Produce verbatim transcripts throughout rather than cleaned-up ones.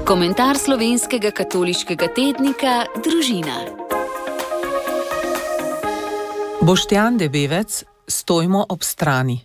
Komentar slovenskega katoliškega tednika Družina. Boštjan Debevec, stojmo ob strani.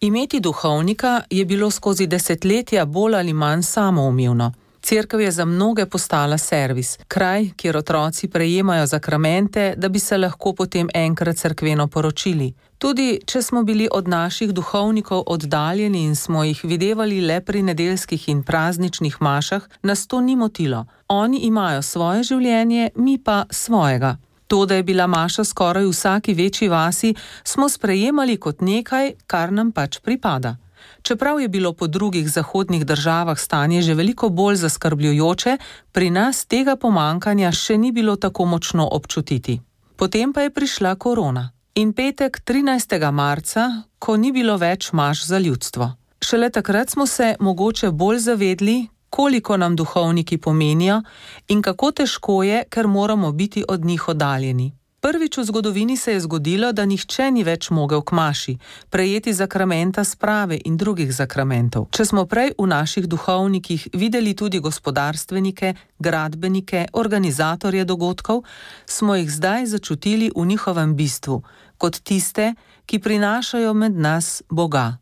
Imeti duhovnika je bilo skozi desetletja bolj ali manj samoumevno. Cerkev je za mnoge postala servis, kraj, kjer otroci prejemajo zakramente, da bi se lahko potem enkrat cerkveno poročili. Tudi če smo bili od naših duhovnikov oddaljeni in smo jih videvali le pri nedeljskih in prazničnih mašah, nas to ni motilo. Oni imajo svoje življenje, mi pa svojega. To, da je bila maša skoraj v vsaki večji vasi, smo sprejemali kot nekaj, kar nam pač pripada. Čeprav je bilo po drugih zahodnih državah stanje že veliko bolj zaskrbljujoče, pri nas tega pomankanja še ni bilo tako močno občutiti. Potem pa je prišla korona. In petek trinajstega marca, ko ni bilo več maš za ljudstvo. Šele takrat smo se mogoče bolj zavedli, koliko nam duhovniki pomenijo in kako težko je, ker moramo biti od njih oddaljeni. Prvič v zgodovini se je zgodilo, da nihče ni več mogel k maši, prejeti zakramenta sprave in drugih zakramentov. Če smo prej v naših duhovnikih videli tudi gospodarstvenike, gradbenike, organizatorje dogodkov, smo jih zdaj začutili v njihovem bistvu, kot tiste, ki prinašajo med nas Boga.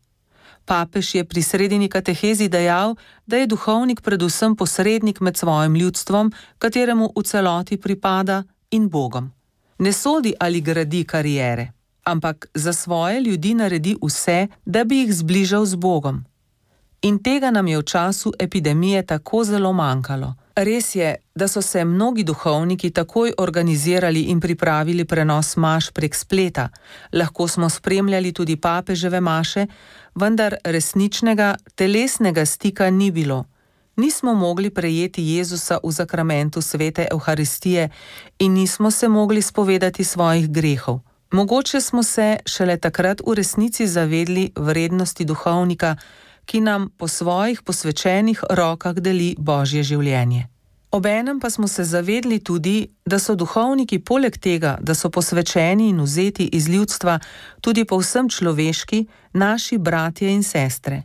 Papež je pri sredini katehezi dejal, da je duhovnik predvsem posrednik med svojim ljudstvom, kateremu v celoti pripada, in Bogom. Ne sodi ali gradi kariere, ampak za svoje ljudi naredi vse, da bi jih zbližal z Bogom. In tega nam je v času epidemije tako zelo manjkalo. Res je, da so se mnogi duhovniki takoj organizirali in pripravili prenos maš prek spleta. Lahko smo spremljali tudi papeževe maše, vendar resničnega, telesnega stika ni bilo. Nismo mogli prejeti Jezusa v zakramentu svete Evharistije in nismo se mogli spovedati svojih grehov. Mogoče smo se šele takrat v resnici zavedli vrednosti duhovnika, ki nam po svojih posvečenih rokah deli Božje življenje. Obenem pa smo se zavedli tudi, da so duhovniki poleg tega, da so posvečeni in vzeti iz ljudstva, tudi povsem človeški, naši bratje in sestre.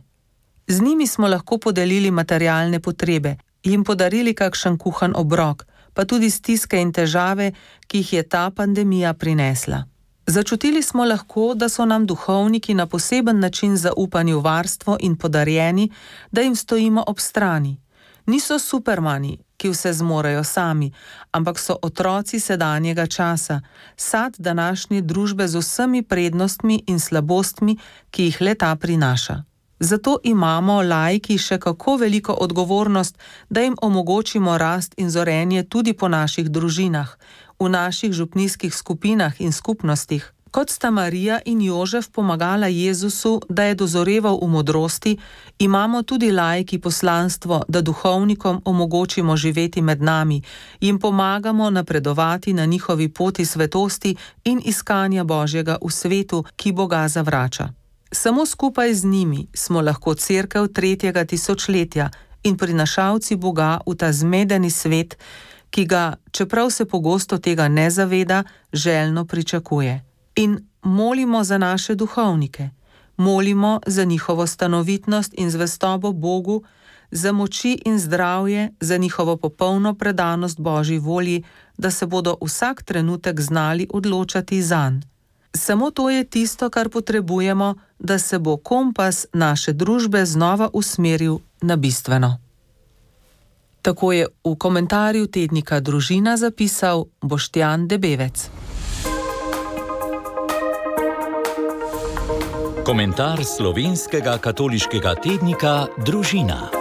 Z njimi smo lahko podelili materialne potrebe, jim podarili kakšen kuhan obrok, pa tudi stiske in težave, ki jih je ta pandemija prinesla. Začutili smo lahko, da so nam duhovniki na poseben način zaupani v varstvo in podarjeni, da jim stojimo ob strani. Niso supermani, ki vse zmorejo sami, ampak so otroci sedanjega časa, sad današnje družbe z vsemi prednostmi in slabostmi, ki jih le-ta prinaša. Zato imamo laiki še kako veliko odgovornost, da jim omogočimo rast in zorenje tudi po naših družinah, v naših župnijskih skupinah in skupnostih. Kot sta Marija in Jožef pomagala Jezusu, da je dozoreval v modrosti, imamo tudi laiki poslanstvo, da duhovnikom omogočimo živeti med nami, jim pomagamo napredovati na njihovi poti svetosti in iskanja Božjega v svetu, ki Boga zavrača. Samo skupaj z njimi smo lahko cerkev tretjega tisočletja in prinašalci Boga v ta zmedeni svet, ki ga, čeprav se pogosto tega ne zaveda, željno pričakuje. In molimo za naše duhovnike, molimo za njihovo stanovitnost in zvestobo Bogu, za moči in zdravje, za njihovo popolno predanost Božji volji, da se bodo vsak trenutek znali odločati zanj. Samo to je tisto, kar potrebujemo, da se bo kompas naše družbe znova usmeril na bistveno. Tako je v komentarju tednika Družina zapisal Boštjan Debevec. Komentar slovenskega katoliškega tednika Družina.